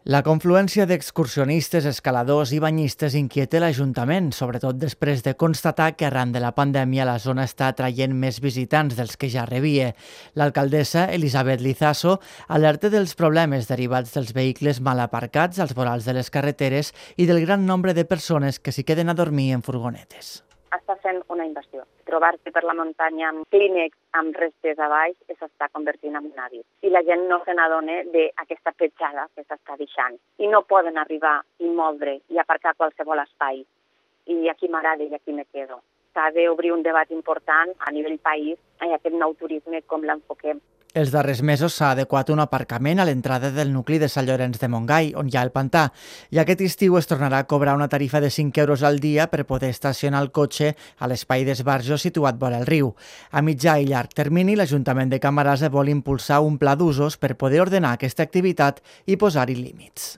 La confluència d'excursionistes, escaladors i banyistes inquieta l'Ajuntament, sobretot després de constatar que arran de la pandèmia la zona està atraient més visitants dels que ja rebia. L'alcaldessa, Elisabet Lizaso, alerta dels problemes derivats dels vehicles mal aparcats als vorals de les carreteres i del gran nombre de persones que s'hi queden a dormir en furgonetes. Està fent una invasió. Trobar-se per la muntanya amb clínex amb restes a baix s'està convertint en un hàbit. I la gent no se n'adona d'aquesta petjada que s'està deixant. I no poden arribar i moldre i aparcar qualsevol espai. I aquí m'agrada i aquí me quedo. S'ha d'obrir un debat important a nivell país en aquest nou turisme, com l'enfoquem. Els darrers mesos s'ha adequat un aparcament a l'entrada del nucli de Sant Llorenç de Montgai, on hi ha el pantà, i aquest estiu es tornarà a cobrar una tarifa de 5 euros al dia per poder estacionar el cotxe a l'espai d'esbarjo situat vora el riu. A mitjà i llarg termini, l'Ajuntament de Camarasa vol impulsar un pla d'usos per poder ordenar aquesta activitat i posar-hi límits.